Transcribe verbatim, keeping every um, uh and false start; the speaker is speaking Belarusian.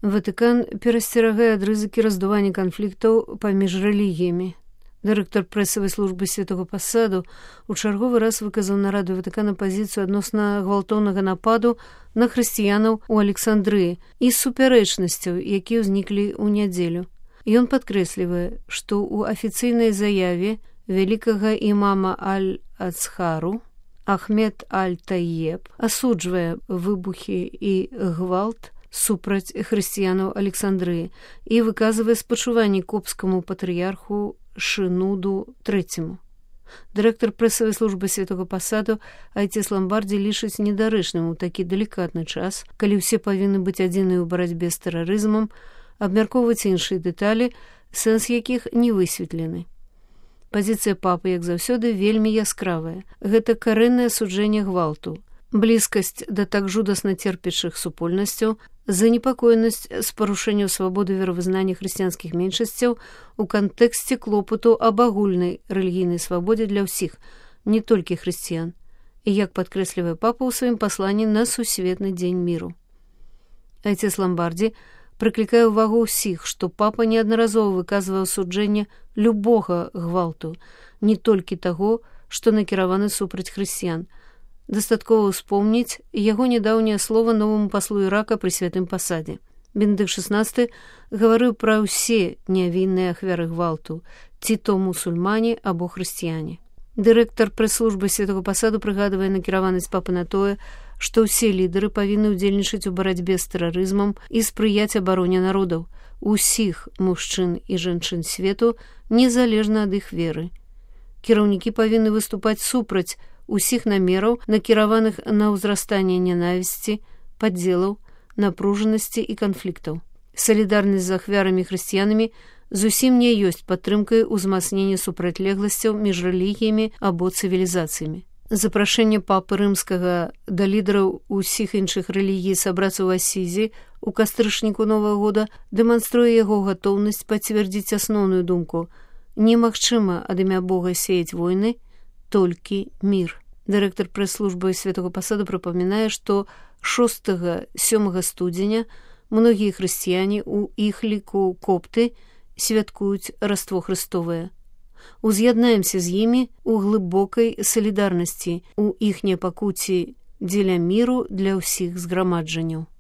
Ватыкан перасцерагае ад рызыкі раздування канфліктаў паміж рэлігіямі. Дырэктар прэсавай службы святого пасаду у чарговы раз выказаў на раду Ватыкана пазіцыю адносна гвалтоўнага нападу на хрысціянаў у Александрыі і супярэчнасцяў, якія ўзніклі ў нядзелю. Ён падкрэслівае, што ў афіцыйнай заяве вялікага імама Аль-Ацхару Ахмед Аль-Таеб асуджвае выбухі і гвалт супраць хрысціянаў Александрыі і выказвае спачуванні копскаму патрыярху Шынуду трэцяму. Дырэктар прэсавай службы святого пасаду Айцес Ламбардзі лічыць недарэчным у такі далікатны час, калі ўсе павінны быць адзіныя ў барацьбе з тэрарызмам, абмяркоўваць іншыя дэталі, сэнс якіх не высветлены. Пазіцыя папы, як заўсёды, вельмі яскравая. Гэта карэннае асуджэнне гвалту, блізкасць да так жудасна церпячых супольнасцяў, занепакоенасць з парушэнняў свабоды веравызнання хрысціянскіх меншасцяў у кантэксце клопату аб агульнай рэлігійнай свабодзе для ўсіх, не толькі хрысціян, і як падкрэслівае папа ў сваім пасланні на сусветны дзень міру. Айцес Ламбардзі прыклікае ўвагу ўсіх, што папа неаднаразова выказвае асуджэнне любога гвалту, не толькі таго, што накіраваны супраць хрысціян. Дастаткова ўспомніць яго нядаўняе слова новаму паслу Ірака пры святым пасадзе. Бенедыкт шаснасты гаварыў пра ўсе нявінныя ахвяры гвалту, ці то мусульмане або хрысціяне. Дырэктар прэс-службы святого пасаду прыгадвае накіраванасць папы на тое, што ўсе лідары павінны ўдзельнічаць у барацьбе з тэрарызмам і спрыяць абароне народаў, усіх мужчын і жанчын свету, незалежна ад іх веры. Кіраўнікі павінны выступаць супраць усіх намераў, накіраваных на ўзрастанне нянавісці, падзелаў, напружанасці і канфліктаў. Салідарнасць з ахвярамі хрысціянамі зусім не ёсць падтрымкай узмацнення супрацьлегласцяў між рэлігіямі або цывілізацыямі. Запрашэнне папы рымскага да лідараў усіх іншых рэлігій сабрацца ў Асізі ў кастрычніку Новага года дэманструе яго гатоўнасць пацвердзіць асноўную думку: немагчыма ад імя Бога сеяць войны, толькі мір. Дырэктар прэс-службы святого пасаду прыпамінае, што шостага-сёмага студзеня многія хрысціяне, у іх ліку копты, святкуюць Раство Хрыстовае. Уз'яднаемся з імі у глыбокай салідарнасці, у іхняй пакуці дзеля міру для ўсіх зграмаджанняў.